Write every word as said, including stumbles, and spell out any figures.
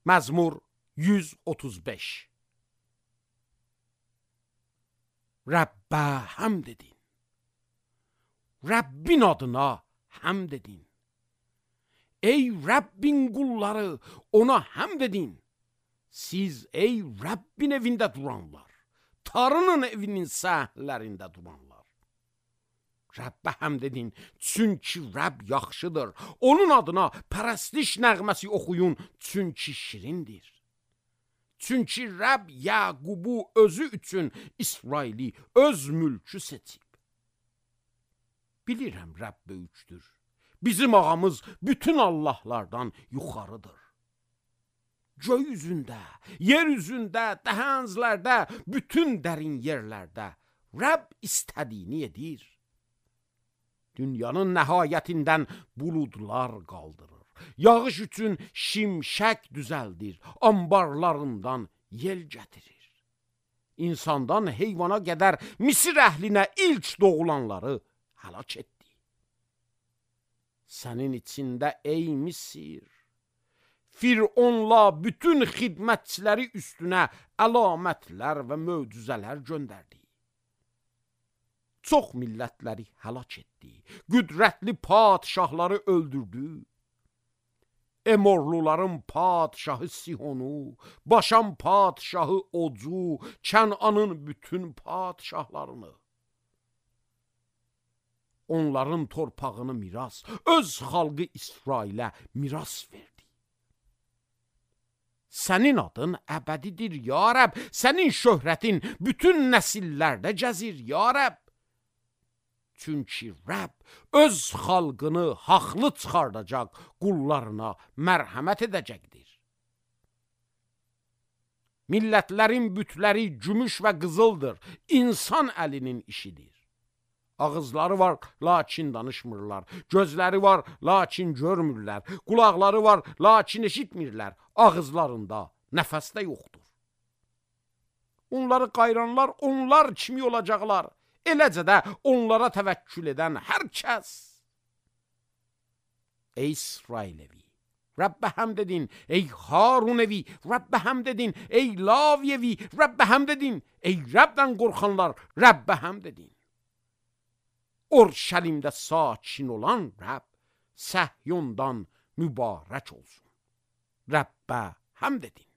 Məzmur yüz otuz beş. Rəbbə həmd edin. Rəbbin adına həmd edin. Ey Rəbbin qulları, ona həmd edin. Siz ey Rəbbin evində duranlar, Tanrının evinin səhlərində duranlar. Rəbbə həmd edin, çünki Rəbb yaxşıdır. Onun adına pərəstiş nəğməsi oxuyun, çünki şirindir. Çünki Rəbb Yaqubu özü üçün İsraili öz mülkü seçib. Bilirəm Rəbb böyükdür. Bizim ağamız bütün Allahlardan yuxarıdır. Göy üzündə, yer üzündə, dəhənzlərdə, bütün dərin yerlərdə Rəbb istədiyini edir. Dünyanın nəhayətindən buludlar qaldırır. Yağış üçün şimşək düzəldir, ambarlarından yel gətirir. İnsandan heyvana qədər Misir əhlinə ilk doğulanları həlak etdi. Sənin içində ey Misir, Fironla bütün xidmətçiləri üstünə əlamətlər və möcüzələr göndərdi. Çox millətləri həlak etdi. Qüdrətli padşahları öldürdü. Emorluların padşahı Sihonu, Başan padşahı Ocu, Kənanın bütün padşahlarını. Onların torpağını miras, öz xalqı İsrailə miras verdi. Sənin adın əbədidir, ya Rəbb. Sənin şöhrətin bütün nəsillərdə gəzir, ya Rəbb. Çünki Rəbb öz xalqını haqlı çıxardacaq, qullarına mərhəmət edəcəkdir. Millətlərin bütləri gümüş və qızıldır, insan əlinin işidir. Ağızları var, lakin danışmırlar. Gözləri var, lakin görmürlər. Qulaqları var, lakin eşitmirlər. Ağızlarında nəfəs də yoxdur. Onları qayranlar, onlar kimi olacaqlar. Eləcə də onlara təvəkkül edən hər kəs. Ey İsrail evi, Rəbbə həmd edin. Ey Harun evi, Rəbbə həmd edin. Ey Lavi evi, Rəbbə həmd edin. Ey Rəbdən qorxanlar, Rəbbə həmd edin. Orşəlimdə sakin olan Rəbb Səhyondan mübarək olsun. Rəbbə həmd edin.